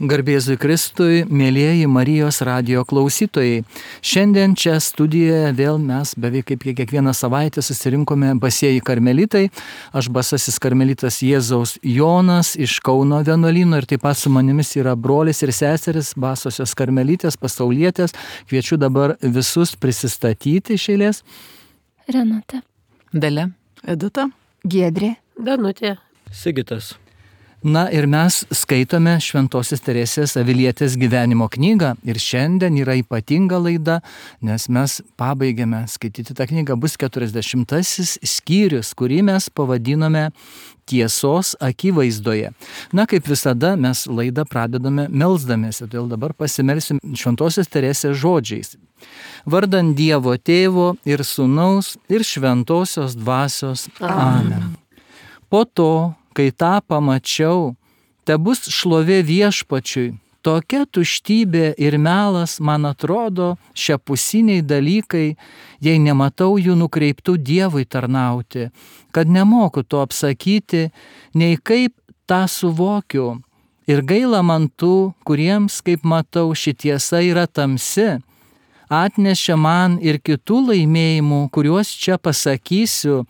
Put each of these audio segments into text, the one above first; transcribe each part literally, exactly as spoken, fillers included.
Garbėzui Kristui, mėlyjeji Marijos radijo klausytojai. Šiandien čia studijoje vėl mes beveik kaip kiekvieną savaitę susirinkome basieji karmelitai. Aš basasis karmelitas Jėzaus Jonas iš Kauno vienuolyno ir taip pat su manimis yra brolis ir seseris basosios karmelitės, pasaulietės. Kviečiu dabar visus prisistatyti iš eilės. Renata. Dalia. Edita. Giedrė. Danutė. Sigitas. Na ir mes skaitome Šventosios Teresės Avilietės gyvenimo knygą ir šiandien yra ypatinga laida, nes mes pabaigėme skaityti tą knygą, bus keturiasdešimtasis skyrius, kurį mes pavadinome Tiesos akivaizdoje. Na, kaip visada, mes laidą pradedame melsdamiesi, todėl dabar pasimelsim Šventosios Teresės žodžiais. Vardan Dievo Tėvo ir Sūnaus ir Šventosios Dvasios. Amen. Po to, kai tą pamačiau, tebus šlovė Viešpačiui, tokia tuštybė ir melas man atrodo šiapusiniai dalykai, jei nematau jų nukreiptų Dievui tarnauti, kad nemoku to apsakyti, nei kaip tą suvokiu. Ir gaila man tų, kuriems, kaip matau, ši tiesa yra tamsi, atnešė man ir kitų laimėjimų, kuriuos čia pasakysiu,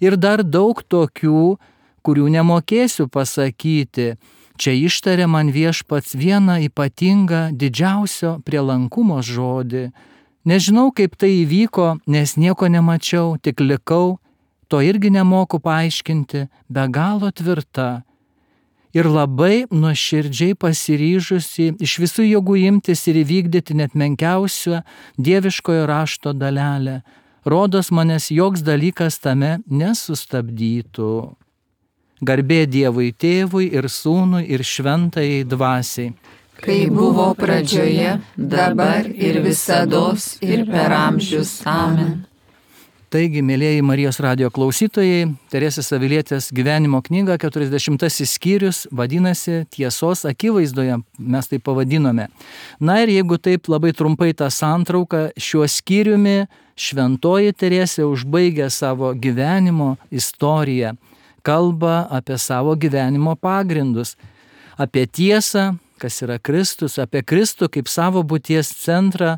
ir dar daug tokių, kurių nemokėsiu pasakyti. Čia ištarė man Viešpats vieną ypatingą didžiausio prielankumo žodį. Nežinau, kaip tai įvyko, nes nieko nemačiau, tik likau, to irgi nemoku paaiškinti, be galo tvirta. Ir labai nuoširdžiai pasiryžusi iš visų jėgų imtis ir įvykdyti net menkiausią dieviškojo rašto dalelę. Rodos manęs joks dalykas tame nesustabdytų. Garbė Dievui Tėvui ir Sūnui ir Šventajai Dvasiai. Kai buvo pradžioje, dabar ir visados ir per amžius. Amen. Taigi, mėlyjeji Marijos radijo klausytojai, Teresės Avilietės gyvenimo knyga, keturiasdešimtasis skyrius, vadinasi Tiesos akivaizdoje, mes tai pavadinome. Na ir jeigu taip labai trumpai tą santrauką, šiuo skyriumi Šventoji Teresė užbaigia savo gyvenimo istoriją. Kalba apie savo gyvenimo pagrindus, apie tiesą, kas yra Kristus, apie Kristų kaip savo būties centrą,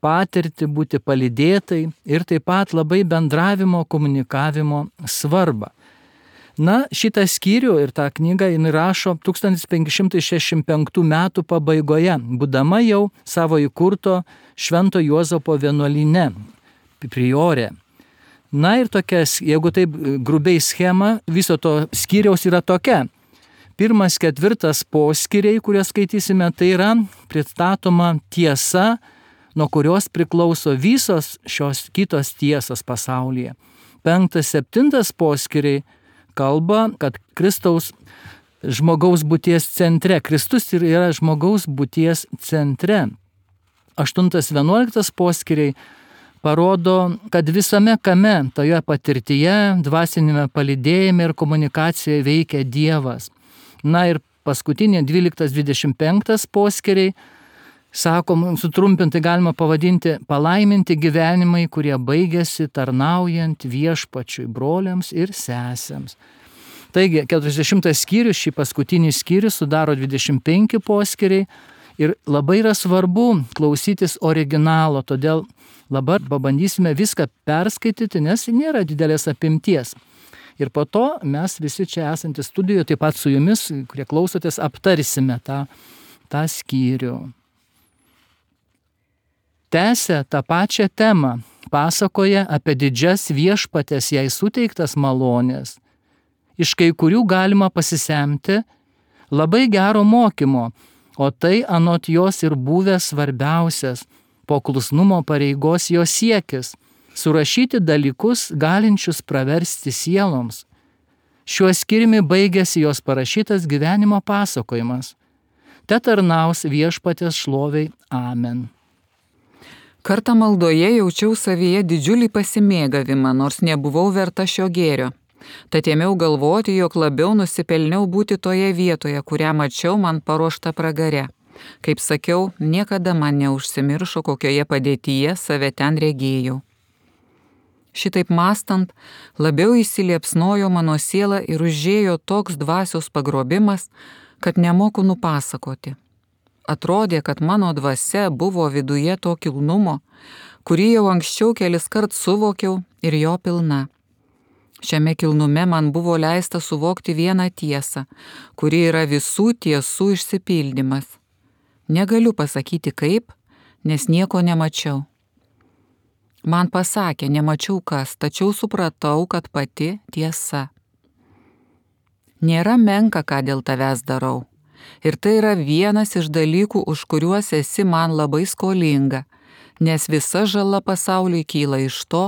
patirtį būti palydėtai ir taip pat labai bendravimo, komunikavimo svarbą. Na, šitą skyrių ir tą knygą jin rašo tūkstantis penki šimtai šešiasdešimt penktų metų pabaigoje, būdama jau savo įkurto Švento Juozapo vienuolyne, priorė. Na ir tokia, jeigu taip grubiai schema, viso to skyriaus yra tokia. Pirmas, ketvirtas poskyriai, kuriuos skaitysime, tai yra pristatoma tiesa, nuo kurios priklauso visos šios kitos tiesos pasaulyje. Penktas, septintas poskyriai kalba, kad Kristaus žmogaus būties centre, Kristus yra žmogaus būties centre. Aštuntas, vienuoliktas poskyriai parodo, kad visame kame, toje patirtyje, dvasinėme palydėjime ir komunikacijoje veikia Dievas. Na ir paskutinė dvyliktas, dvidešimt penktas poskyriai, sakom, sutrumpintai galima pavadinti palaiminti gyvenimai, kurie baigėsi tarnaujant Viešpačiui, broliams ir sesėms. Taigi, keturiasdešimtas skyrius, šį paskutinį skyrių sudaro dvidešimt penki poskyriai ir labai yra svarbu klausytis originalo, todėl dabar pabandysime viską perskaityti, nes nėra didelės apimties. Ir po to mes visi čia esantys studijoje, taip pat su jumis, kurie klausotės, aptarsime tą, tą skyrių. Tęsia tą pačią temą, pasakoja apie didžias Viešpatės jai suteiktas malonės. Iš kai kurių galima pasisemti labai gero mokymo, o tai anot jos ir buvęs svarbiausias po klusnumo pareigos jos siekis – surašyti dalykus galinčius praversti sieloms. Šiuo skyriumi baigėsi jos parašytas gyvenimo pasakojimas. Te tarnaus Viešpatės šloviai. Amen. Kartą maldoje jaučiau savyje didžiulį pasimėgavimą, nors nebuvau verta šio gėrio. Tad ėmiau galvoti, jog labiau nusipelniau būti toje vietoje, kurią mačiau man paruoštą pragare. Kaip sakiau, niekada man neužsimiršo, kokioje padėtyje save ten regėjau. Šitaip mąstant, labiau įsiliepsnojo mano siela ir užėjo toks dvasios pagrobimas, kad nemoku nupasakoti. atrodė, kad mano dvasia buvo viduje to kilnumo, kurį jau anksčiau kelis kart suvokiau ir jo pilna. Šiame kilnume man buvo leista suvokti vieną tiesą, kuri yra visų tiesų išsipildymas. Negaliu pasakyti kaip, nes nieko nemačiau. Man pasakė, nemačiau kas, tačiau supratau, kad pati tiesa. Nėra menka, ką dėl tavęs darau. Ir tai yra vienas iš dalykų, už kuriuos esi man labai skolinga, nes visa žala pasauliui kyla iš to,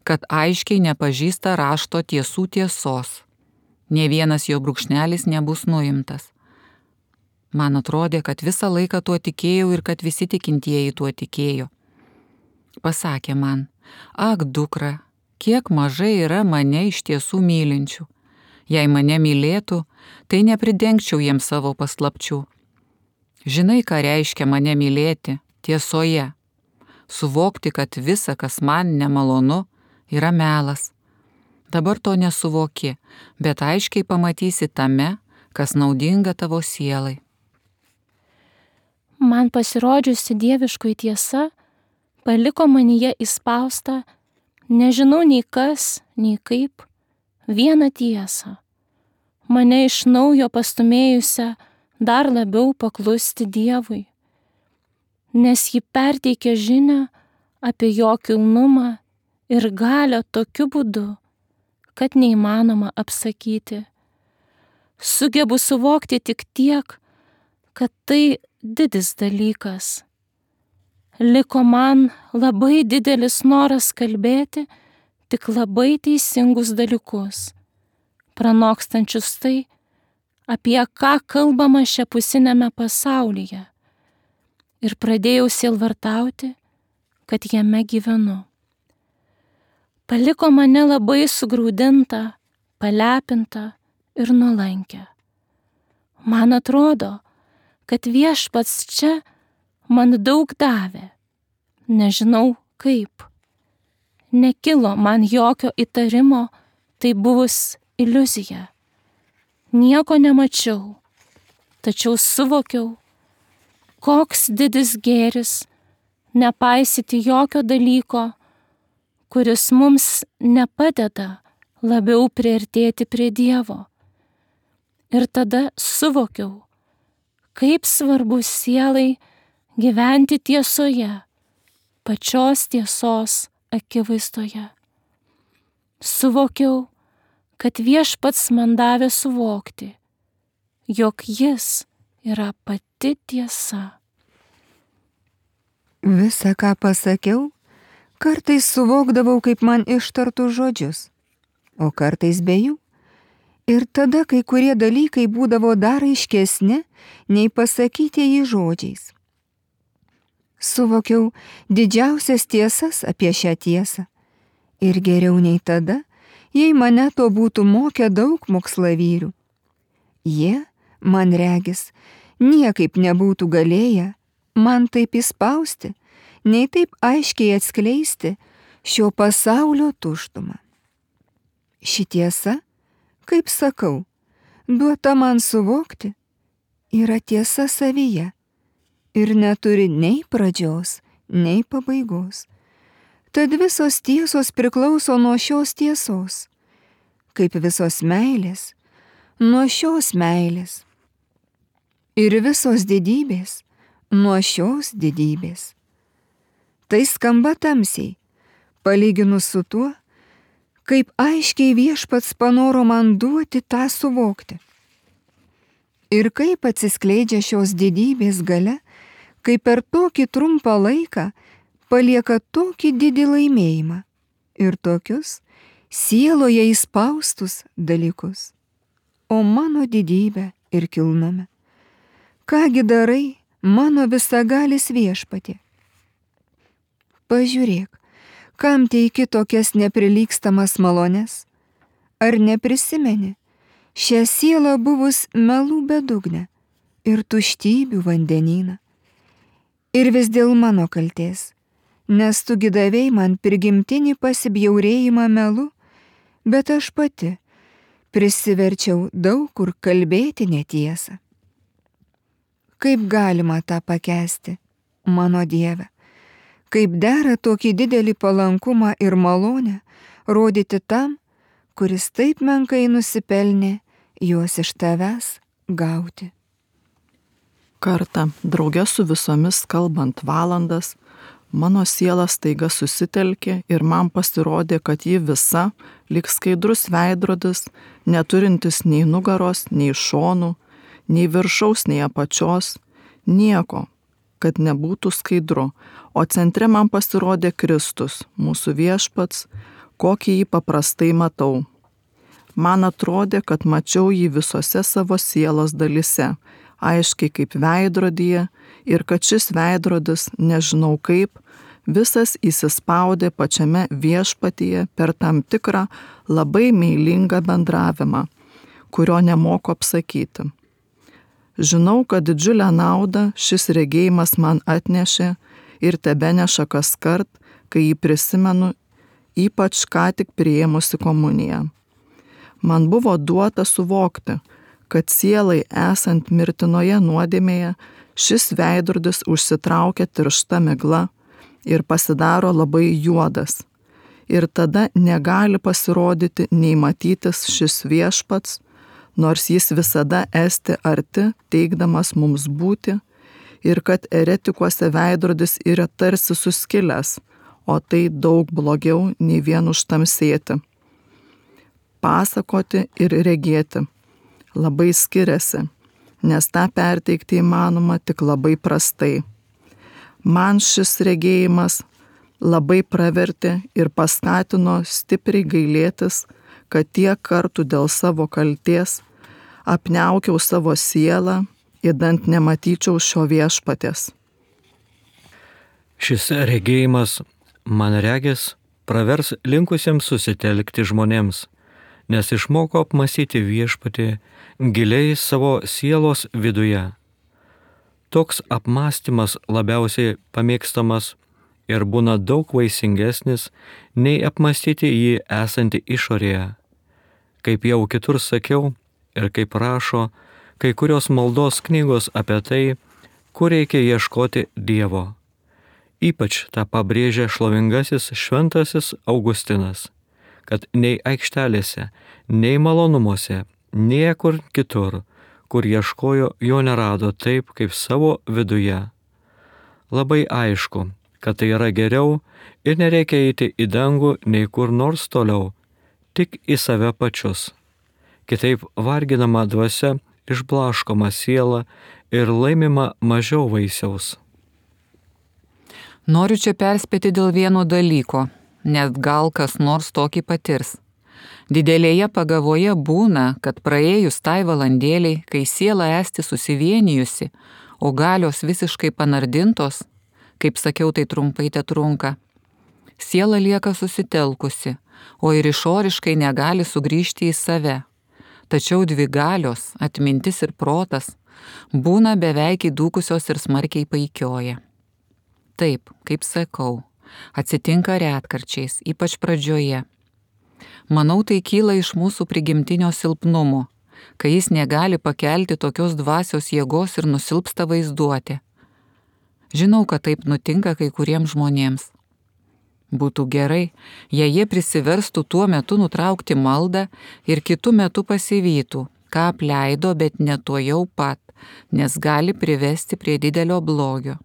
kad aiškiai nepažįsta rašto tiesų tiesos. Nė vienas jo brūkšnelis nebus nuimtas. Man atrodė, kad visą laiką tuo tikėjau ir kad visi tikintieji tuo tikėjo. Pasakė man, ak, dukra, kiek mažai yra mane iš tiesų mylinčių. Jei mane mylėtų, tai nepridengčiau jiems savo paslapčių. Žinai, ką reiškia mane mylėti tiesoje. Suvokti, kad visa, kas man nemalonu, yra melas. Dabar to nesuvoki, bet aiškiai pamatysi tame, kas naudinga tavo sielai. Man pasirodžiusi dieviškoji tiesa paliko manyje įspaustą, nežinau nei kas, nei kaip, vieną tiesą, mane iš naujo pastumėjusią dar labiau paklusti Dievui, nes ji perteikė žinią apie jo kilnumą ir galią tokiu būdu, kad neįmanoma apsakyti. Sugebu suvokti tik tiek, kad tai didis dalykas. Liko man labai didelis noras kalbėti tik labai teisingus dalykus, pranokstančius tai, apie ką kalbama šiapusinėme pasaulyje, ir pradėjau sielvartauti, kad jame gyvenu. Paliko mane labai sugraudintą, palepintą ir nuolankę. Man atrodo, kad viešpats čia man daug davė, nežinau kaip. Nekilo man jokio įtarimo, tai buvus iliuzija. Nieko nemačiau, tačiau suvokiau, koks didis gėris nepaisyti jokio dalyko, kuris mums nepadeda labiau priartėti prie Dievo. Ir tada suvokiau, kaip svarbu sielai gyventi tiesoje, pačios tiesos akivaizdoje. Suvokiau, kad viešpats man davė suvokti, jog jis yra pati tiesa. Visa, ką pasakiau, kartais suvokdavau kaip man ištartų žodžius, o kartais be jų. Ir tada kai kurie dalykai būdavo dar aiškesni, nei pasakytieji žodžiais. Suvokiau didžiausias tiesas apie šią tiesą. Ir geriau nei tada, jei mane to būtų mokę daug mokslavyrų. Jie, man regis, niekaip nebūtų galėję man taip įspausti, nei taip aiškiai atskleisti šio pasaulio tuštumą. Ši tiesa, kaip sakau, duota man suvokti, yra tiesa savyje ir neturi nei pradžios, nei pabaigos. Tad visos tiesos priklauso nuo šios tiesos, kaip visos meilės, nuo šios meilės. Ir visos didybės nuo šios didybės. Tai skamba tamsiai, palyginus su tuo, kaip aiškiai viešpats panoro man duoti tą suvokti. Ir kaip atsiskleidžia šios didybės galia, kai per tokį trumpą laiką palieka tokį didį laimėjimą ir tokius sieloje įspaustus dalykus. O mano didybė ir kilnume. Kągi darai, mano visagalis viešpatie? Pažiūrėk, kam teiki tokias neprilygstamas malones? Ar neprisimeni, šią sielą buvus melų bedugnę ir tuštybių vandenyną? Ir vis dėl mano kaltės, nes tu gidavei man prigimtinį pasibjaurėjimą melu, bet aš pati prisiverčiau daug kur kalbėti netiesą. Kaip galima tą pakęsti, mano Dieve? Kaip dera tokį didelį palankumą ir malonę rodyti tam, kuris taip menkai nusipelnė juos iš tavęs gauti. Kartą, drauge su visomis kalbant valandas, mano siela staiga susitelkė ir man pasirodė, kad ji visa, lyg skaidrus veidrodis, neturintis nei nugaros, nei šonų, nei viršaus, nei apačios, nieko, kad nebūtų skaidru, o centre man pasirodė Kristus, mūsų viešpats, kokį jį paprastai matau. Man atrodė, kad mačiau jį visose savo sielos dalise, aiškiai kaip veidrodyje, ir kad šis veidrodis, nežinau kaip, visas įsispaudė pačiame viešpatyje per tam tikrą labai meilingą bendravimą, kurio nemoku apsakyti. Žinau, kad didžiulę naudą šis regėjimas man atnešė ir tebeneša kaskart, kai jį prisimenu, ypač ką tik priėmusi komuniją. Man buvo duota suvokti, kad sielai esant mirtinoje nuodėmėje, šis veidrodis užsitraukia tiršta migla ir pasidaro labai juodas. Ir tada negali pasirodyti nei matytis šis viešpats, nors jis visada esti arti, teikdamas mums būti, ir kad eretikuose veidrodis yra tarsi suskilęs, o tai daug blogiau nei vien užtamsėti. Pasakoti ir regėti labai skiriasi, nes tą perteikti įmanoma tik labai prastai. Man šis regėjimas labai pravertė ir paskatino stipriai gailėtis, kad tiek kartų dėl savo kaltės apniaukiau savo sielą, idant nematyčiau šio viešpaties. Šis regėjimas, man regis, pravers linkusiems susitelkti žmonėms, nes išmoko apmąstyti viešpatį giliai savo sielos viduje. Toks apmąstymas labiausiai pamėgstamas ir būna daug vaisingesnis, nei apmąstyti jį esantį išorėje. Kaip jau kitur sakiau ir kaip rašo kai kurios maldos knygos apie tai, kur reikia ieškoti Dievo. Ypač tą pabrėžia šlovingasis šventasis Augustinas, kad nei aikštelėse, nei malonumuose, niekur kitur, kur ieškojo, jo nerado taip, kaip savo viduje. Labai aišku, kad tai yra geriau ir nereikia eiti į dangų nei kur nors toliau, tik į save pačius. Kitaip varginama dvasia išblaškoma siela ir laimima mažiau vaisiaus. Noriu čia perspėti dėl vieno dalyko, nes gal kas nors tokį patirs. Didelėje pagavoje būna, kad praėjus tai valandėliai, kai siela esti susivienijusi, o galios visiškai panardintos, kaip sakiau, tai trumpai te trunka, siela lieka susitelkusi, o ir išoriškai negali sugrįžti į save. Tačiau dvi galios, atmintis ir protas, būna beveik įdūkusios ir smarkiai paikioja. Taip, kaip sakau, atsitinka retkarčiais, ypač pradžioje. Manau, tai kyla iš mūsų prigimtinio silpnumo, kai jis negali pakelti tokios dvasios jėgos ir nusilpsta vaizduotė. Žinau, kad taip nutinka kai kuriems žmonėms. Būtų gerai, jei jie prisiverstų tuo metu nutraukti maldą ir kitu metu pasivytų, ką apleido, bet ne to jau pat, nes gali privesti prie didelio blogio.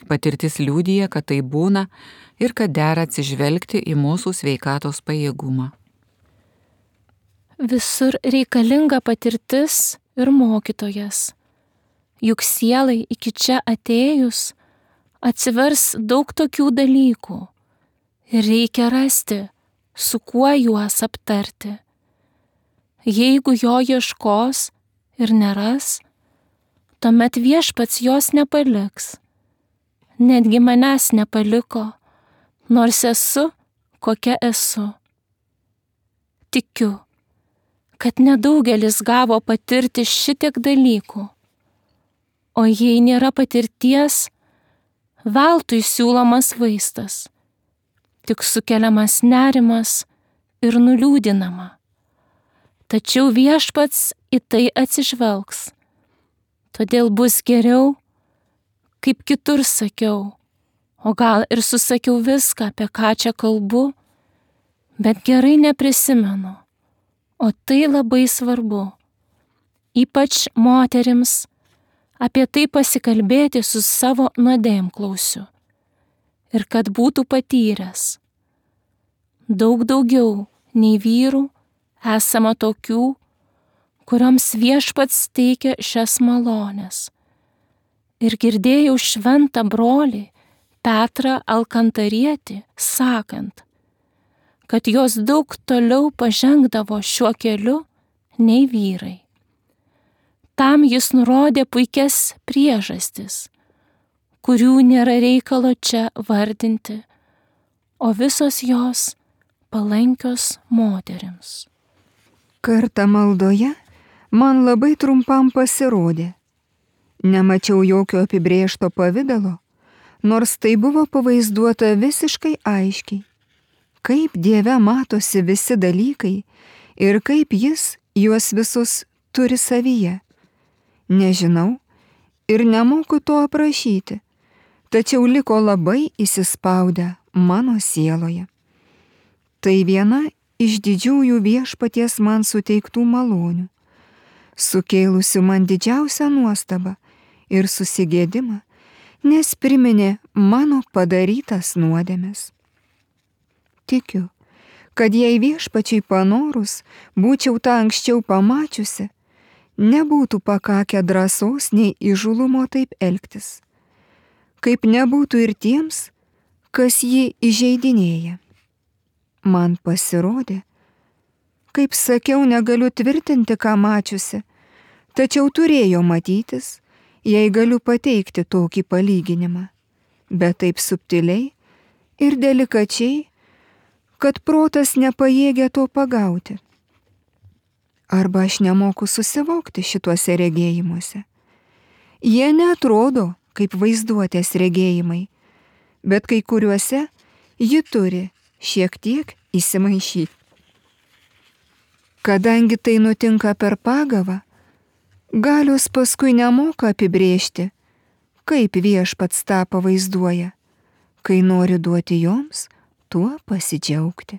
Patirtis liudija, kad tai būna ir kad dera atsižvelgti į mūsų sveikatos pajėgumą. Visur reikalinga patirtis ir mokytojas. Juk sielai iki čia atėjus atsivers daug tokių dalykų ir reikia rasti, su kuo juos aptarti. Jeigu jo ieškos ir neras, tuomet viešpats jos nepaliks. Netgi manęs nepaliko, nors esu, kokia esu. Tikiu, kad nedaugelis gavo patirti šitiek dalykų, o jei nėra patirties, veltui siūlomas vaistas, tik sukeliamas nerimas ir nuliūdinama. Tačiau viešpats į tai atsižvelgs. Todėl bus geriau, kaip kitur sakiau, o gal ir susakiau viską, apie ką čia kalbu, bet gerai neprisimenu, o tai labai svarbu. Ypač moterims apie tai pasikalbėti su savo nuodėmklausiu ir kad būtų patyręs. Daug daugiau nei vyrų esama tokių, kurioms Viešpats teikia šias malonės. Ir girdėjau šventą brolį Petrą Alkantarietį sakant, kad jos daug toliau pažengdavo šiuo keliu nei vyrai. Tam jis nurodė puikias priežastis, kurių nėra reikalo čia vardinti, o visos jos palankios moterims. Kartą maldoje man labai trumpam pasirodė. Nemačiau jokio apibrėžto pavidalo, nors tai buvo pavaizduota visiškai aiškiai. Kaip Dieve matosi visi dalykai ir kaip jis juos visus turi savyje. Nežinau ir nemoku to aprašyti, tačiau liko labai įsispaudę mano sieloje. Tai viena iš didžiųjų Viešpaties man suteiktų malonių, sukėlusių man didžiausią nuostabą ir susigėdimą, nes priminė mano padarytas nuodėmes. Tikiu, kad jei Viešpačiai panorus būčiau tą anksčiau pamačiusi, nebūtų pakakę drąsos nei įžulumo taip elgtis, kaip nebūtų ir tiems, kas jį įžeidinėja. Man pasirodė, kaip sakiau, negaliu tvirtinti, ką mačiusi, tačiau turėjo matytis, jei galiu pateikti tokį palyginimą, bet taip subtiliai ir delikačiai, kad protas nepajėgia to pagauti. Arba aš nemoku susivokti šituose regėjimuose. Jie neatrodo kaip vaizduotės regėjimai, bet kai kuriuose ji turi šiek tiek įsimaišyti. Kadangi tai nutinka per pagavą, galios paskui nemoka apibrėžti, kaip Viešpats tą pavaizduoja, kai nori duoti joms tuo pasidžiaugti.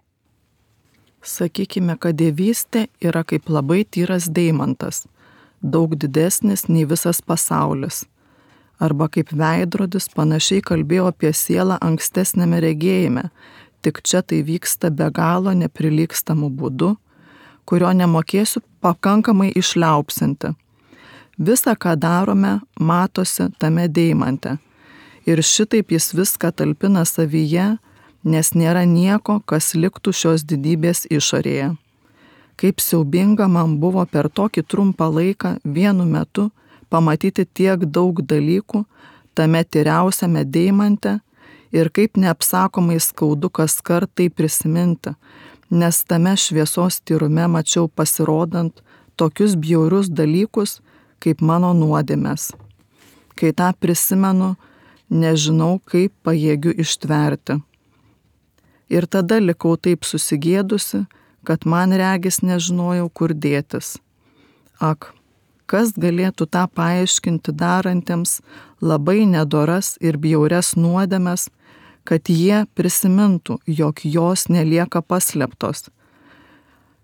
Sakykime, kad dievystė yra kaip labai tyras deimantas, daug didesnis nei visas pasaulis. Arba kaip veidrodis panašiai kalbėjo apie sielą ankstesnėme regėjime, tik čia tai vyksta be galo neprilygstamų būdų, kurio nemokėsiu pakankamai išliaupsinti. Visa, ką darome, matosi tame deimante. Ir šitaip jis viską talpina savyje, nes nėra nieko, kas liktų šios didybės išorėje. Kaip siaubinga man buvo per tokį trumpą laiką vienu metu pamatyti tiek daug dalykų tame tyriausiame deimante ir kaip neapsakomai skaudu kas kart tai prisiminti, nes tame šviesos tyrume mačiau pasirodant tokius bjaurius dalykus, kaip mano nuodėmės. Kai tą prisimenu, nežinau, kaip pajėgiu ištverti. Ir tada likau taip susigėdusi, kad man regis nežinojau, kur dėtis. Ak, kas galėtų tą paaiškinti darantiems labai nedoras ir bjaurias nuodėmes, kad jie prisimintų, jog jos nelieka paslėptos.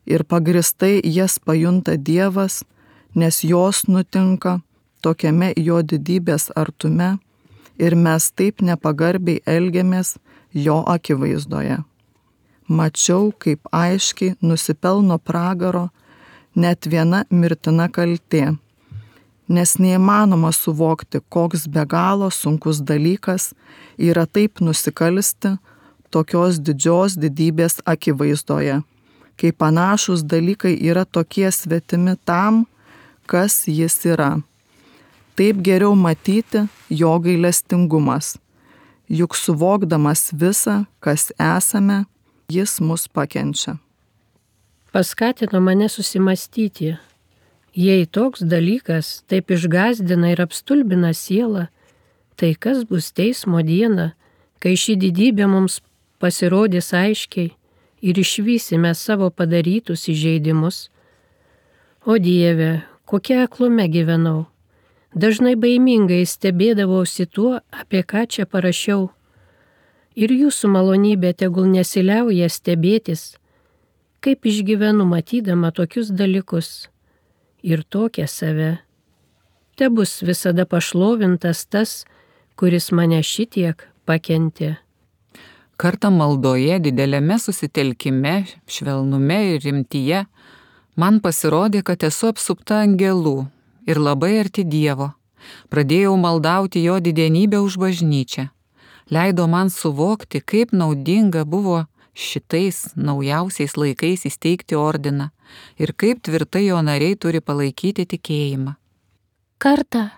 Ir pagristai jas pajunta Dievas, nes jos nutinka tokiame jo didybės artume ir mes taip nepagarbiai elgiamės jo akivaizdoje. Mačiau, kaip aiškiai nusipelno pragaro net viena mirtina kaltė, nes neįmanoma suvokti, koks be galo sunkus dalykas yra taip nusikalsti tokios didžios didybės akivaizdoje, kai panašus dalykai yra tokie svetimi tam, kas jis yra. Taip geriau matyti jo gailestingumas, juk suvokdamas visą, kas esame, jis mus pakenčia. Paskatino mane susimastyti, jei toks dalykas taip išgąsdina ir apstulbina sielą, tai kas bus teismo diena, kai ši didybė mums pasirodys aiškiai ir išvysime savo padarytus įžeidimus. O Dieve, kokia aklume gyvenau, dažnai baimingai stebėdavausi tuo, apie ką čia parašiau. Ir jūsų malonybė tegul nesiliauja stebėtis, kaip išgyvenu matydama tokius dalykus ir tokią save. Te bus visada pašlovintas tas, kuris mane šitiek pakentė. Kartą maldoje, dideliame susitelkime, švelnume ir rimtyje, man pasirodė, kad esu apsupta angelų ir labai arti Dievo. Pradėjau maldauti jo didenybę už bažnyčią. Leido man suvokti, kaip naudinga buvo šitais naujausiais laikais įsteigti ordiną ir kaip tvirtai jo nariai turi palaikyti tikėjimą. Kartą,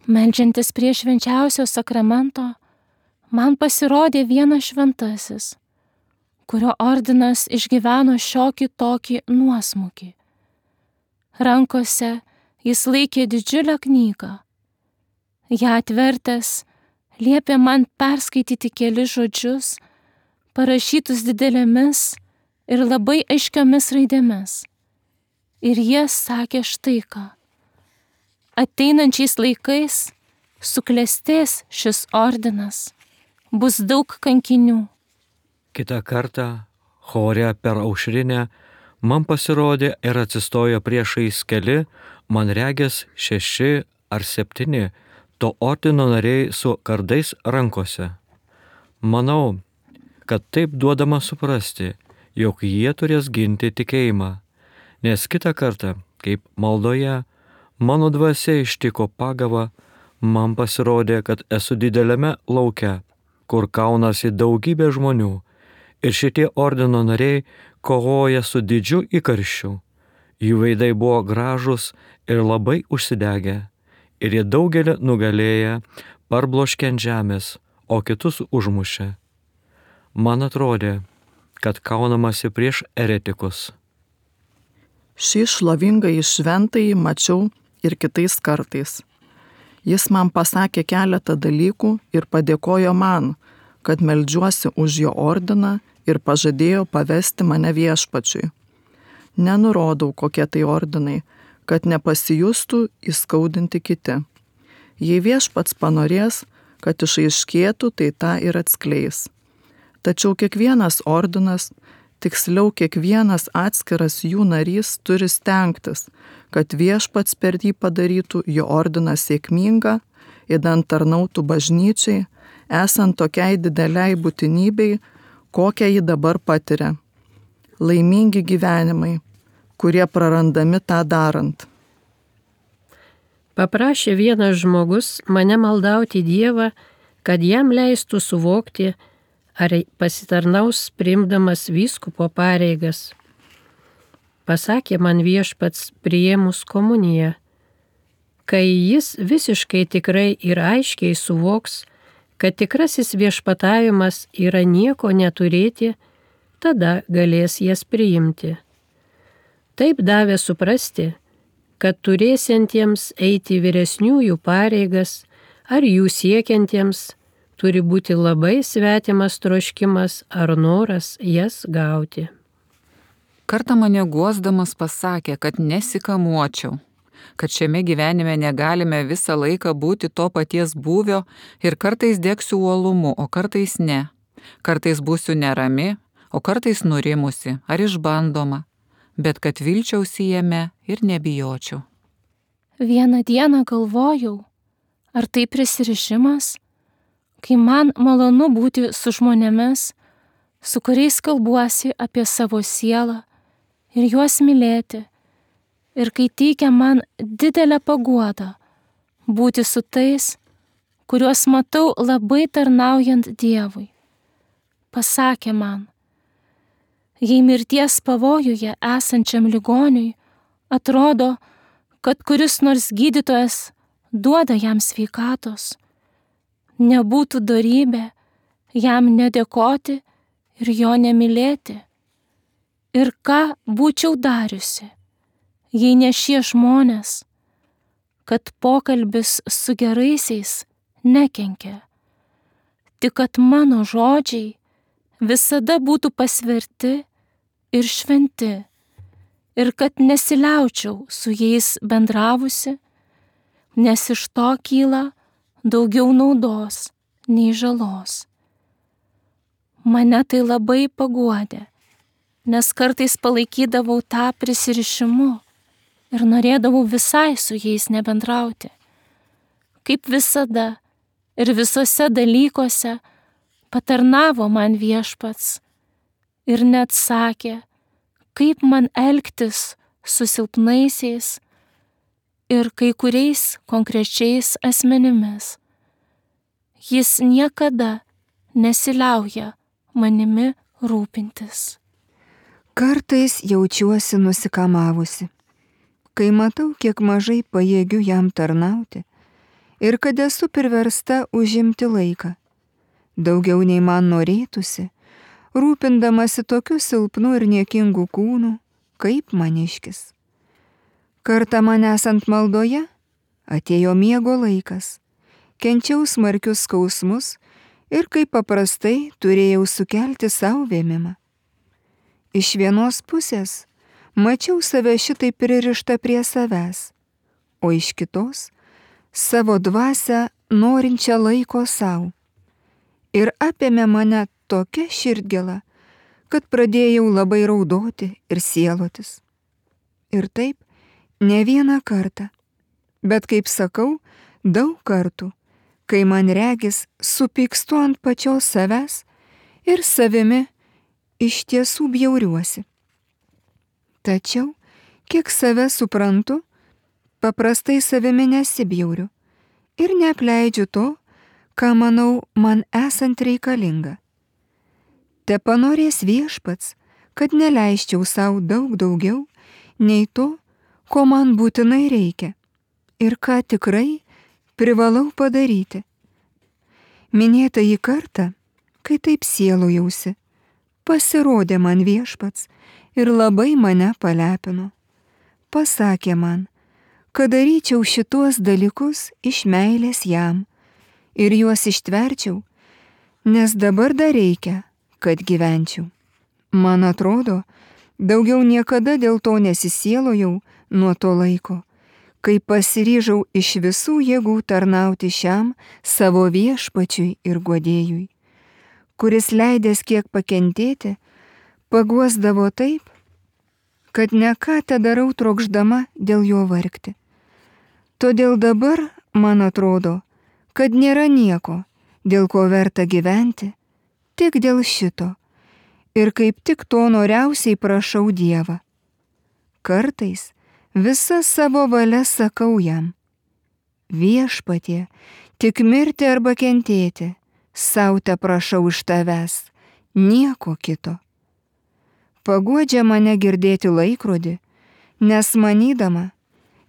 meldžiantis prie švenčiausio sakramento, man pasirodė vienas šventasis, kurio ordinas išgyveno šiokį tokį nuosmukį. Rankose jis laikė didžiulę knygą. Ją atvertęs, liepė man perskaityti kelis žodžius, parašytus didelėmis ir labai aiškiomis raidėmis. Ir jie sakė štai ką. Ateinančiais laikais suklestės šis ordinas, bus daug kankinių. Kitą kartą, chore per aušrinę, man pasirodė ir atsistojo priešais keli, man regis šeši ar septyni, to ordino nariai su kardais rankose. Manau, kad taip duodama suprasti, jog jie turės ginti tikėjimą, nes kitą kartą, kaip maldoje, mano dvasia ištiko pagava, man pasirodė, kad esu dideliame lauke, kur kaunasi daugybė žmonių, ir šitie ordino nariai kovoja su didžiu įkarščiu. Jų veidai buvo gražus ir labai užsidegę, ir jie daugelį nugalėję, parbloškė ant žemės, o kitus užmušė. Man atrodė, kad kaunamasi prieš eretikus. Šį šlovingąjį šventąjį mačiau ir kitais kartais. Jis man pasakė keletą dalykų ir padėkojo man, kad meldžiuosi už jo ordiną ir pažadėjo pavesti mane viešpačiui. Nenurodau, kokie tai ordinai, kad nepasijustų įskaudinti kiti. Jei viešpats panorės, kad išaiškėtų, tai tą ir atskleis. Tačiau kiekvienas ordinas, tiksliau kiekvienas atskiras jų narys turi stengtis, kad viešpats per jį padarytų jo ordiną sėkmingą, idant tarnautų bažnyčiai, esant tokiai dideliai būtinybei, kokią jį dabar patiria. Laimingi gyvenimai, kurie prarandami tą darant. Paprašė vienas žmogus mane maldauti Dievą, kad jam leistų suvokti, ar pasitarnaus priimdamas vyskupo pareigas. Pasakė man viešpats priėmus komuniją, kai jis visiškai tikrai ir aiškiai suvoks, kad tikrasis viešpatavimas yra nieko neturėti, tada galės jas priimti. Taip davė suprasti, kad turėsiantiems eiti vyresniųjų pareigas ar jų siekiantiems turi būti labai svetimas troškimas ar noras jas gauti. Kartą mane guosdamas pasakė, kad nesikamuočiau, kad šiame gyvenime negalime visą laiką būti to paties būvio ir kartais degsiu uolumu, o kartais ne. Kartais būsiu nerami, o kartais nurimusi ar išbandoma, bet kad vilčiausi jame ir nebijočiau. Vieną dieną galvojau, ar tai prisirišimas, kai man malonu būti su žmonėmis, su kuriais kalbuosi apie savo sielą ir juos mylėti, ir kai teikia man didelę paguodą būti su tais, kuriuos matau labai tarnaujant Dievui. Pasakė man, jei mirties pavojuje esančiam ligoniui atrodo, kad kuris nors gydytojas duoda jam sveikatos, nebūtų dorybė jam nedėkoti ir jo nemylėti. Ir ką būčiau dariusi, jei ne šie žmonės, kad pokalbis su geraisiais nekenkia, tik kad mano žodžiai visada būtų pasverti ir šventi, ir kad nesiliaučiau su jais bendravusi, nes iš to kyla daugiau naudos nei žalos. Mane tai labai paguodė, nes kartais palaikydavau tą prisirišimu ir norėdavau visai su jais nebendrauti. Kaip visada ir visose dalykuose patarnavo man Viešpats ir net sakė, kaip man elgtis su silpnaisiais ir kai kuriais konkrečiais asmenimis. Jis niekada nesiliauja manimi rūpintis. Kartais jaučiuosi nusikamavusi, kai matau, kiek mažai pajėgiu jam tarnauti ir kad esu priversta užimti laiką, daugiau nei man norėtųsi, rūpindamasi tokiu silpnu ir niekingu kūnu, kaip maniškis. Kartą man esant maldoje, atėjo miego laikas, kenčiau smarkius skausmus ir kaip paprastai turėjau sukelti savo vėmimą. Iš vienos pusės mačiau save šitai pririštą prie savęs, o iš kitos savo dvasią norinčią laiko savo. Ir apėmė mane tokia širdgėla, kad pradėjau labai raudoti ir sielotis. Ir taip ne vieną kartą, bet kaip sakau, daug kartų, kai man regis supykstu ant pačios savęs ir savimi iš tiesų bjauriuosi. Tačiau, kiek save suprantu, paprastai savimi nesibjauriu ir neapleidžiu to, ką manau man esant reikalinga. Te panorės Viešpats, kad neleisčiau savo daug daugiau nei to, ko man būtinai reikia ir ką tikrai privalau padaryti. Minėtąjį kartą, kai taip sielojausi, pasirodė man Viešpats ir labai mane palepino. Pasakė man, kad daryčiau šituos dalykus iš meilės jam ir juos ištverčiau, nes dabar dar reikia, kad gyvenčiau. Man atrodo, daugiau niekada dėl to nesisielojau nuo to laiko, kai pasiryžau iš visų jėgų tarnauti šiam savo Viešpačiui ir guodėjui, kuris leidęs kiek pakentėti, paguosdavo taip, kad ne ką te darau trokšdama dėl jo vargti. Todėl dabar, man atrodo, kad nėra nieko, dėl ko verta gyventi, tik dėl šito. Ir kaip tik to noriausiai prašau Dievą. Kartais visą savo valią sakau jam: Viešpatie, tik mirti arba kentėti, sau te prašau iš tavęs, nieko kito. Paguodžia mane girdėti laikrodį, nes manydama,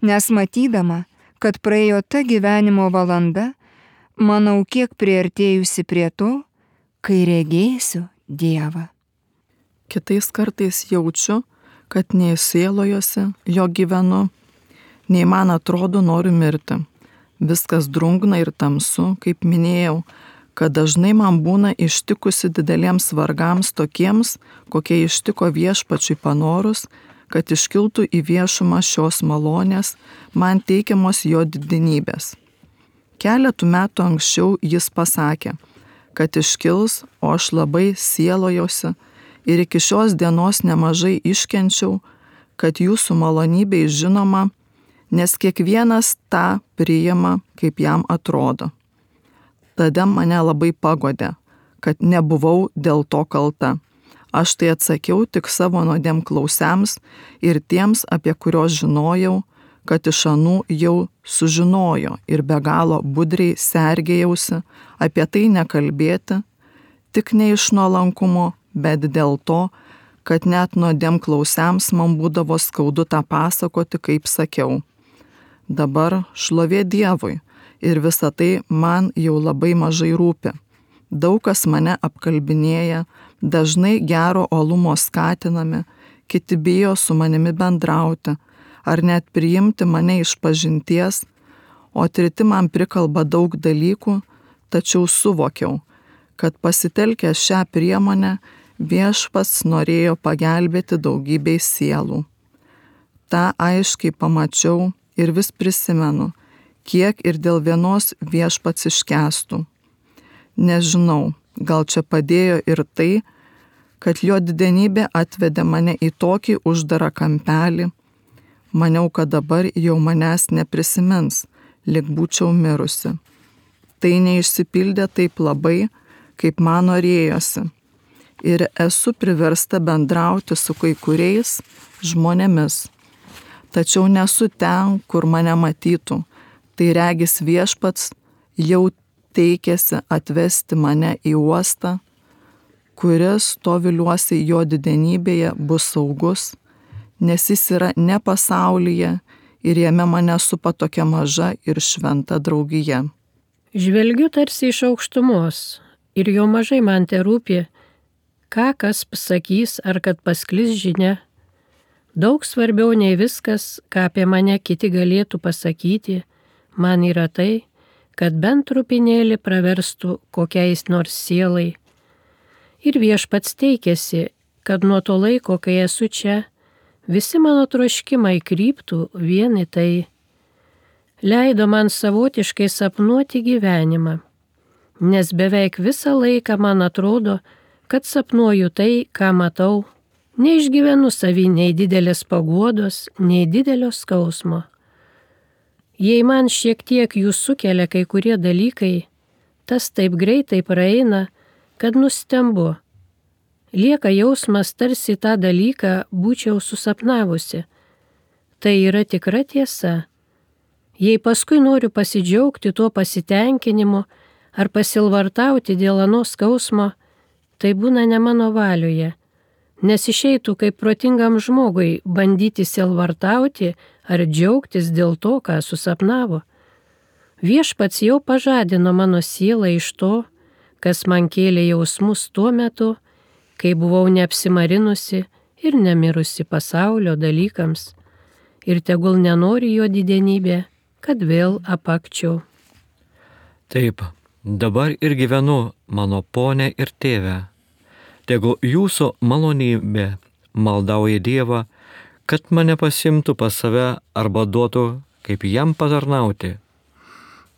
nes matydama, kad praėjo ta gyvenimo valanda, manau kiek priartėjusi prie to, kai regėsiu Dievą. Kitais kartais jaučiu, kad nei sielojosi, jo gyvenu, nei man atrodo noriu mirti. Viskas drungna ir tamsu, kaip minėjau, kad dažnai man būna ištikusi dideliems vargams tokiems, kokie ištiko Viešpačiui panorus, kad iškiltų į viešumą šios malonės, man teikiamos jo didinybės. Keletų metų anksčiau jis pasakė, kad iškils, o aš labai sielojosi ir iki šios dienos nemažai iškenčiau, kad jūsų malonybė žinoma, nes kiekvienas tą priima, kaip jam atrodo. Tada mane labai pagodė, kad nebuvau dėl to kalta. Aš tai atsakiau tik savo nuodėmklausiams ir tiems, apie kuriuos žinojau, kad iš anų jau sužinojo ir be galo budriai sergėjausi apie tai nekalbėti, tik ne iš nuolankumo, bet dėl to, kad net nuodėmklausiams man būdavo skaudu tą pasakoti, kaip sakiau. Dabar šlovė Dievui ir visa tai man jau labai mažai rūpi. Daug kas mane apkalbinėja, dažnai gero olumo skatinami, kiti bijo su manimi bendrauti, ar net priimti mane iš pažinties, o treti man prikalba daug dalykų, tačiau suvokiau, kad pasitelkęs šią priemonę Viešpats norėjo pagelbėti daugybei sielų. Ta aiškiai pamačiau ir vis prisimenu, kiek ir dėl vienos viešpats iškęstų. Nežinau, gal čia padėjo ir tai, kad jo didenybė atvedė mane į tokį uždarą kampelį. Maniau, kad dabar jau manęs neprisimins, lyg būčiau mirusi. Tai neišsipildė taip labai, kaip man norėjosi. Ir esu priversta bendrauti su kai kuriais žmonėmis. Tačiau nesu ten, kur mane matytų. Tai regis viešpats jau teikėsi atvesti mane į uostą, kuris, to viliuosi, jo didenybėje bus saugus, nes jis yra ne pasaulyje ir jame mane supa tokia maža ir šventa draugija. Žvelgiu tarsi iš aukštumos ir jau mažai man te rūpi, ką kas pasakys ar kad pasklis žinia. Daug svarbiau nei viskas, ką apie mane kiti galėtų pasakyti, man yra tai, kad bent trupinėlį praverstų kokiais nors sielai. Ir viešpats teikėsi, kad nuo to laiko, kai esu čia, visi mano troškimai kryptų vien į tai. Leido man savotiškai sapnuoti gyvenimą, nes beveik visą laiką man atrodo, kad sapnuoju tai, ką matau, neišgyvenu savy nei didelės paguodos, nei didelio skausmo. Jei man šiek tiek jų sukelia kai kurie dalykai, tas taip greitai praeina, kad nustembu. Lieka jausmas, tarsi tą dalyką būčiau susapnavusi. Tai yra tikra tiesa. Jei paskui noriu pasidžiaugti tuo pasitenkinimu ar pasilvartauti dėl ano skausmo, tai būna ne mano valioje, nes išeitų kaip protingam žmogui bandyti silvartauti ar džiaugtis dėl to, ką susapnavo. Viešpats jau pažadino mano sielą iš to, kas man kėlė jausmus tuo metu, kai buvau neapsimarinusi ir nemirusi pasaulio dalykams, ir tegul nenori jo didenybė, kad vėl apakčiau. Taip, dabar ir gyvenu, mano ponė ir tėve. Tegul jūsų malonybė maldauja Dievą, kad mane pasimtų pas save arba duotų, kaip jam patarnauti.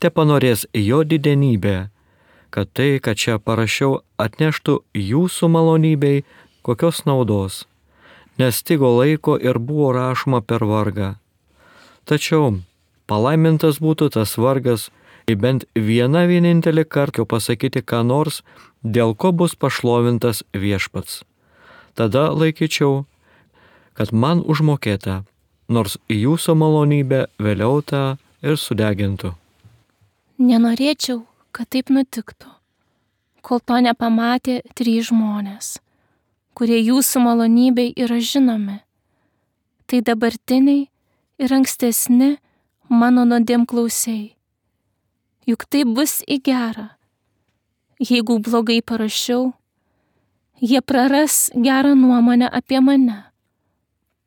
Te panorės jo didenybė, kad tai, kad čia parašiau, atneštų jūsų malonybei kokios naudos, nes stigo laiko ir buvo rašoma per vargą. Tačiau palaimintas būtų tas vargas, kai bent vieną vienintelį kartą pasakyti ką nors, dėl ko bus pašlovintas viešpats. Tada laikyčiau, kad man užmokėta, nors jūsų malonybė vėliau tą ir sudegintų. Nenorėčiau, kad taip nutiktų, kol to nepamatė trys žmonės, kurie jūsų malonybei yra žinomi. Tai dabartiniai ir ankstesni mano nuodėmklausiai. Juk tai bus į gerą. Jeigu blogai parašiau, jie praras gerą nuomonę apie mane.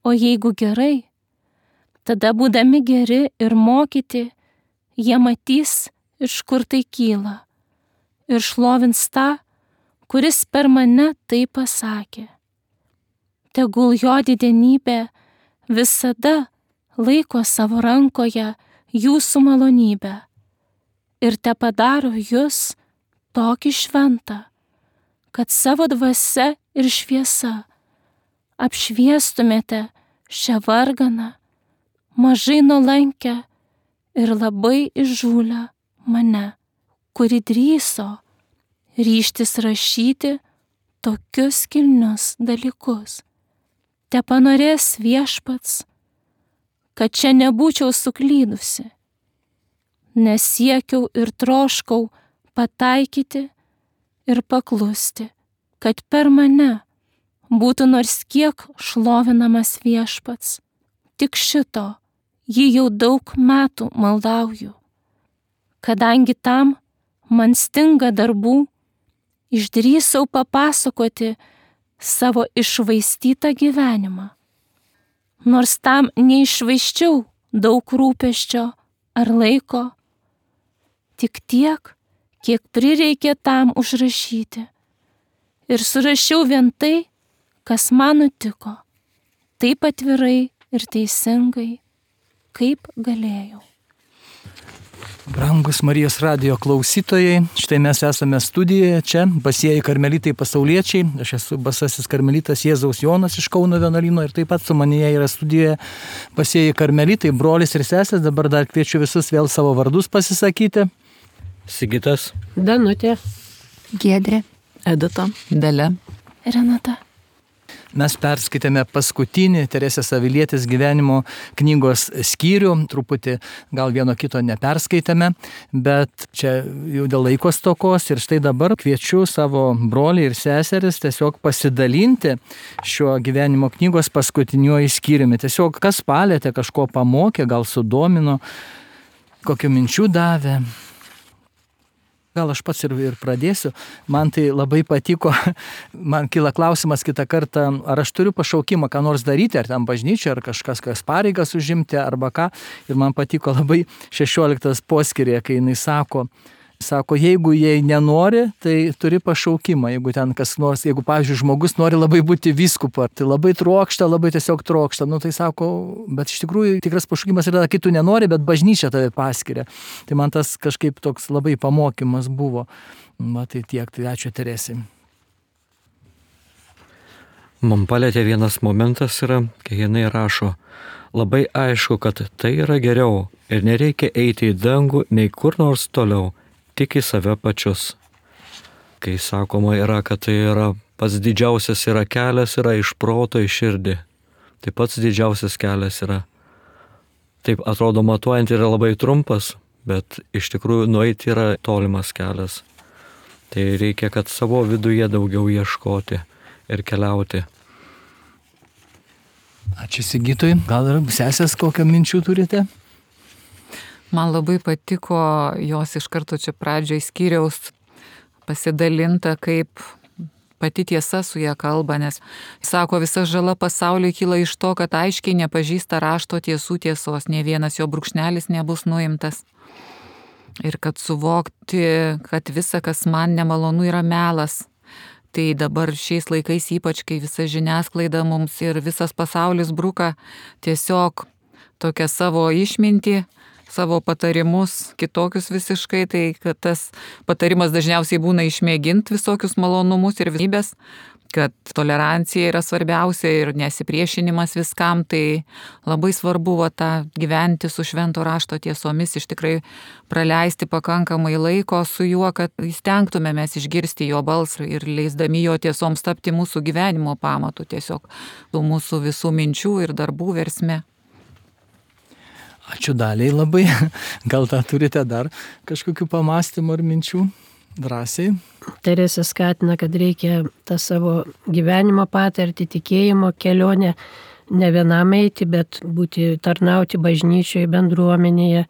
O jeigu gerai, tada būdami geri ir mokyti, jie matys, iš kur tai kyla, ir šlovins tą, kuris per mane tai pasakė. Tegul jo didenybė visada laiko savo rankoje jūsų malonybę ir te padaro jūs tokį šventą, kad savo dvasia ir šviesa apšviestumėte šią varganą, mažai nuolankę ir labai įžūlę mane, kuri drįso ryžtis rašyti tokius kilnius dalykus. Te panorės viešpats, kad čia nebūčiau suklydusi, nes siekiau ir troškau pataikyti ir paklusti, kad per mane būtų nors kiek šlovinamas viešpats. Tik šito jį jau daug metų maldauju. Kadangi tam man stinga darbų, išdrįsau papasakoti savo iššvaistytą gyvenimą. Nors tam neiššvaisčiau daug rūpesčio ar laiko, tik tiek, kiek prireikė tam užrašyti. Ir surašiau vien tai, kas man nutiko, taip atvirai ir teisingai, kaip galėjau. Brangus Marijos radijo klausytojai, štai mes esame studijoje, čia Basieji karmelitai pasauliečiai, aš esu Basasis karmelitas Jėzaus Jonas iš Kauno vienuolyno ir taip pat su manėje yra studijoje Basieji karmelitai, brolis ir sesės, dabar dar kviečiu visus vėl savo vardus pasisakyti. Sigitas, Danutė, Giedrė, Edita, Dalia. Renata. Mes perskaitėme paskutinį Teresės Avilietės gyvenimo knygos skyrių, truputį gal vieno kito neperskaitėme, bet čia jau dėl laiko stokos ir štai dabar kviečiu savo brolį ir seseris tiesiog pasidalinti šiuo gyvenimo knygos paskutiniuoju skyriumi. Tiesiog kas palėtė, kažko pamokė, gal sudomino, kokių minčių davė. Gal aš pats ir, ir pradėsiu. Man tai labai patiko, man kyla klausimas kitą kartą, ar aš turiu pašaukimą ką nors daryti, ar ten bažnyčia, ar kažkas, kas pareigas užimti, arba ką. Ir man patiko labai šešioliktas poskirė, kai jinai sako, sako, jeigu jie nenori, tai turi pašaukimą. Jeigu ten kas nors, jeigu, pavyzdžiui, žmogus nori labai būti vyskupu, tai labai trokšta, labai tiesiog trokšta, nu tai sako, bet iš tikrųjų tikras pašaukimas yra, kai tu nenori, bet bažnyčia tave paskiria. Tai man tas kažkaip toks labai pamokymas buvo. Va tai tiek, tai ačiū Teresei. man palėtė vienas momentas yra, kai jinai rašo, labai aišku, kad tai yra geriau ir nereikia eiti į dangų nei kur nors toliau, tik į save pačius. Kai sakoma yra, kad tai yra pats didžiausias yra kelias, yra iš proto į širdį. Tai pats didžiausias kelias yra. Taip atrodo matuojant yra labai trumpas, bet iš tikrųjų nueiti yra tolimas kelias. Tai reikia, kad savo viduje daugiau ieškoti ir keliauti. Ačiū Sigitui. Gal ir sesės kokią minčių turite? Man labai patiko jos iš karto čia pradžioje skyriaus pasidalinta, kaip pati tiesa su ją kalba, nes sako, visa žala pasauliui kyla iš to, kad aiškiai nepažįsta rašto tiesų tiesos, ne vienas jo brūkšnelis nebus nuimtas. Ir kad suvokti, kad visa, kas man nemalonu, yra melas. Tai dabar šiais laikais, ypač kai visa žiniasklaida mums ir visas pasaulis bruka tiesiog tokią savo išmintį, savo patarimus, kitokius visiškai, tai kad tas patarimas dažniausiai būna išmėginti visokius malonumus ir visybės, kad tolerancija yra svarbiausia ir nesipriešinimas viskam, tai labai svarbu va, tą gyventi su švento rašto tiesomis, iš tikrai praleisti pakankamai laiko su juo, kad įstengtume mes išgirsti jo balsą ir leisdami jo tiesoms tapti mūsų gyvenimo pamatu, tiesiog mūsų visų minčių ir darbų versme. Ačiū Daliai labai. Gal tą turite dar kažkokių pamastymų ar minčių? Drąsiai. Teresė skatina, kad reikia tą savo gyvenimo patirtį, tikėjimo kelionę ne vienam eiti, bet būti tarnauti bažnyčioje, bendruomenėje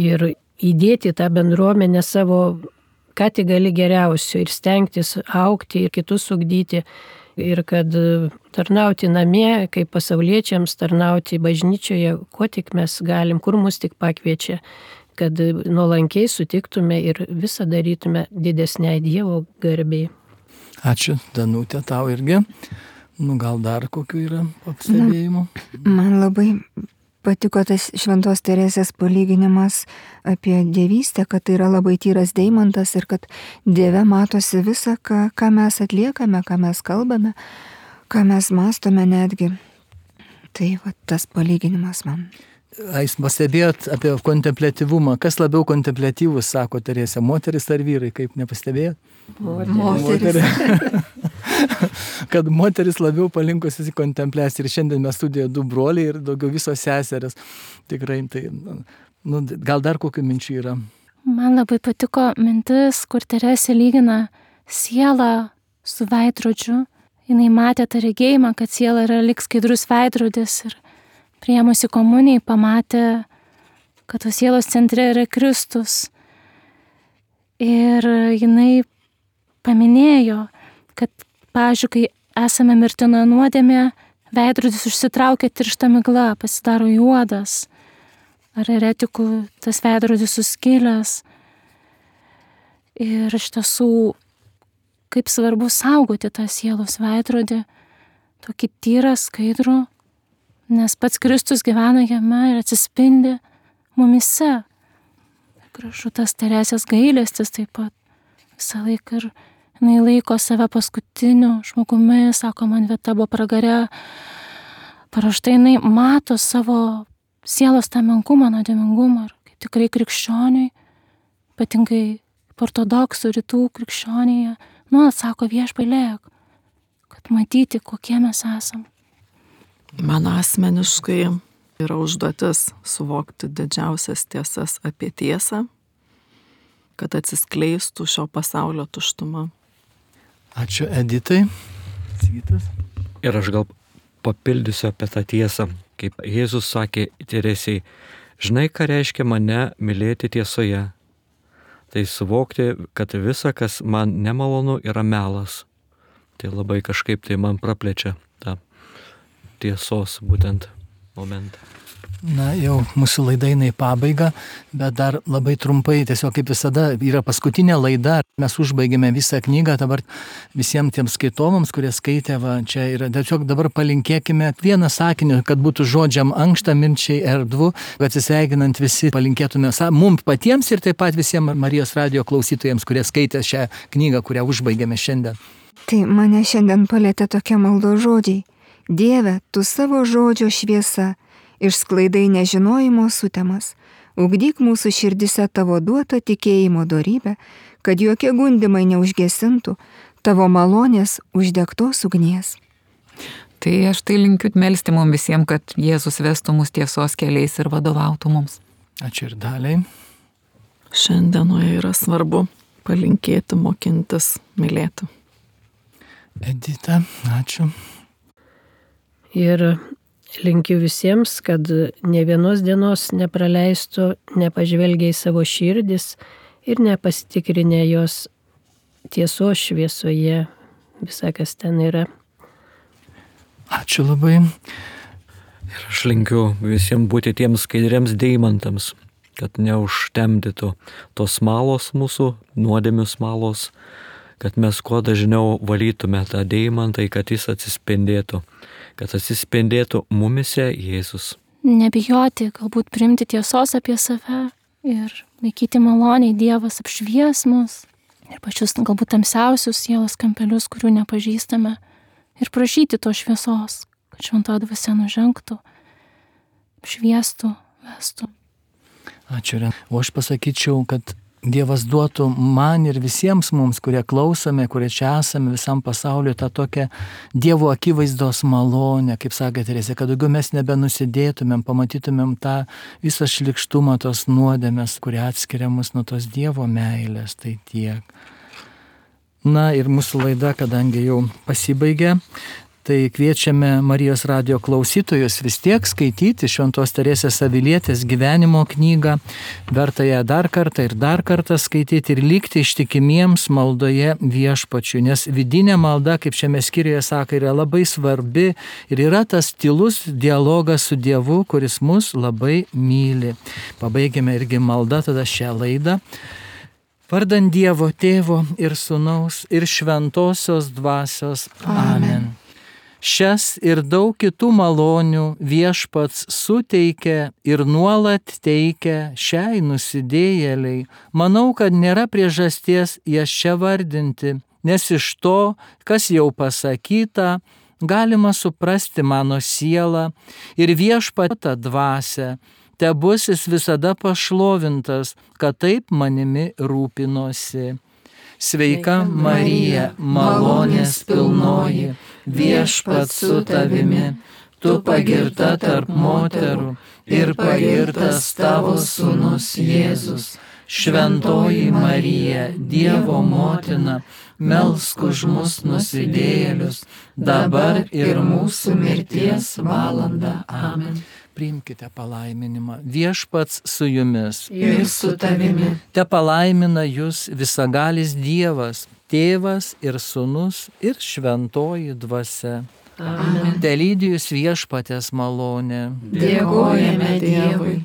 ir įdėti tą bendruomenę savo, ką tik gali geriausio ir stengtis augti ir kitus ugdyti. Ir kad tarnauti namie, kaip pasauliečiams, tarnauti bažnyčioje, kuo tik mes galim, kur mus tik pakviečia, kad nuolankiai sutiktume ir visą darytume didesniai Dievo garbei. Ačiū, Danutė, tau irgi. Nu, gal dar kokių yra pastebėjimų? Man labai patiko tas šventos Teresės palyginimas apie dievystę, kad tai yra labai tyras deimantas ir kad Dieve matosi visą, ką, ką mes atliekame, ką mes kalbame, ką mes mąstome netgi. Tai va, tas palyginimas man. Jūs pastebėjot apie kontempliatyvumą. Kas labiau kontempliatyvus, sako Teresė, moteris ar vyrai, kaip nepastebėjot? Moteris. Kad moteris labiau palinkusi į kontempliaciją. Ir šiandien mes studijoje du broliai ir daugiau visos seserės. Tikrai, tai, nu, gal dar kokių minčių yra? Man labai patiko mintis, kur Teresė lygina sielą su veidrodžiu. Jinai matė tą regėjimą, kad siela yra lyg skaidrus veidrodis ir priėmusi komunijai pamatė, kad tos sielos centre yra Kristus. Ir jinai paminėjo, kad, pavyzdžiui, kai esame mirtinoje nuodėmėje, veidrodis užsitraukia tiršta migla, pasidaro juodas. Ar eretikų tas veidrodis suskilęs. Ir iš tiesų, kaip svarbu saugoti tą sielos veidrodį, tokį tyrą, skaidrų, nes pats Kristus gyvena jame ir atsispindi mumise. gražu tas Teresės gailestis taip pat. Visą laiką ir jinai laiko save paskutiniu žmogumi, sako, man vieta buvo pragare. Paraštai jinai mato savo sielos tą menkumą, nuodėmingumą. Ir kaip tikrai krikščioniui, ypatingai ortodoksų rytų krikščionėje, nuolat sako viešpailėk, kad matyti, kokie mes esam. Man asmeniškai yra užduotis suvokti didžiausias tiesas apie tiesą, kad atsiskleistų šio pasaulio tuštuma. Ačiū Editai. Sigitas. Ir aš gal papildysiu apie tą tiesą, kaip Jėzus sakė Teresei, žinai, ką reiškia mane mylėti tiesoje. Tai suvokti, kad visa, kas man nemalonu, yra melas. Tai labai kažkaip tai man praplečia tą tiesos būtent momentą. Na, jau mūsų laida eina į pabaigą, bet dar labai trumpai, tiesiog kaip visada, yra paskutinė laida. Mes užbaigėme visą knygą, dabar visiems tiems skaitovams, kurie skaitė, va, čia yra, tiesiog dabar palinkėkime vieną sakinį, kad būtų žodžiam ankšta, minčiai erdvu, kad atsisveikinant visi palinkėtume mums patiems ir taip pat visiems Marijos radijo klausytojams, kurie skaitė šią knygą, kurią užbaigėme šiandien. Tai mane šiandien palėtė tokie maldo žodžiai. Dieve, tu savo žodžio šviesa, išsklaidai nežinojimo sutemas, ugdyk mūsų širdise tavo duotą tikėjimo dorybę, kad jokie gundimai neužgesintų tavo malonės uždegtos ugnies. Tai aš tai linkiu melsti mums visiems, kad Jėzus vestų mus tiesos keliais ir vadovautų mums. Ačiū ir Daliai. Šiandienoje yra svarbu palinkėti, mokintis, mylėti. Edita, ačiū. Ir linkiu visiems, kad ne vienos dienos nepraleistų, nepažvelgia į savo širdis ir nepasitikrinę jos tiesos šviesoje, visą, kas ten yra. Ačiū labai. Ir aš linkiu visiems būti tiems skaidriems deimantams, kad neužtemdytų tos smalos mūsų, nuodėmių smalos, kad mes kuo dažniau valytume tą deimantą, kad jis atsispindėtų, kad atsispindėtų mumise Jėzus. Nebijoti, galbūt priimti tiesos apie save ir laikyti maloniai, Dievas apšvies mus ir pačius galbūt tamsiausius sielos kampelius, kurių nepažįstame, ir prašyti to šviesos, kad šventoji dvasia nužengtų, apšviestų, vestų. Ačiū. O aš pasakyčiau, kad Dievas duotų man ir visiems mums, kurie klausome, kurie čia esame visam pasauliu, tą tokią Dievo akivaizdos malonę, kaip sakė Teresė, kad daugiau mes nebenusidėtumėm, pamatytumėm tą visą šlikštumą, tos nuodėmės, kurie atskiria mus nuo tos Dievo meilės, tai tiek. Na ir mūsų laida, kadangi jau pasibaigė, tai kviečiame Marijos radijo klausytojus vis tiek skaityti Šventos Teresės Avilietės gyvenimo knygą, verta ją dar kartą ir dar kartą skaityti ir likti ištikimiems maldoje Viešpačiui, nes vidinė malda, kaip šiame skyriuje sako, yra labai svarbi ir yra tas tylus dialogas su Dievu, kuris mus labai myli. Pabaigėme irgi maldą tada šią laidą. Vardan Dievo Tėvo ir Sūnaus ir Šventosios Dvasios. Amen. Amen. Šias ir daug kitų malonių Viešpats suteikia ir nuolat teikia šiai nusidėjėliai. Manau, kad nėra priežasties jas čia vardinti, nes iš to, kas jau pasakyta, galima suprasti mano sielą ir Viešpatą dvasią. Tebus jis visada pašlovintas, kad taip manimi rūpinosi. Sveika Marija, malonės pilnoji, Viešpats su tavimi, tu pagirta tarp moterų ir pagirtas tavo sūnus Jėzus. Šventoji Marija, Dievo motina, melsk už mus nusidėjėlius, dabar ir mūsų mirties valanda. Amen. Priimkite palaiminimą. Viešpats su jumis. Ir su tavimi. Te palaimina jūs visagalis Dievas, Tėvas ir Sūnus ir Šventoji Dvasia. Amen. Te lydi jūs Viešpatės malonė. Dėkojame Dievui.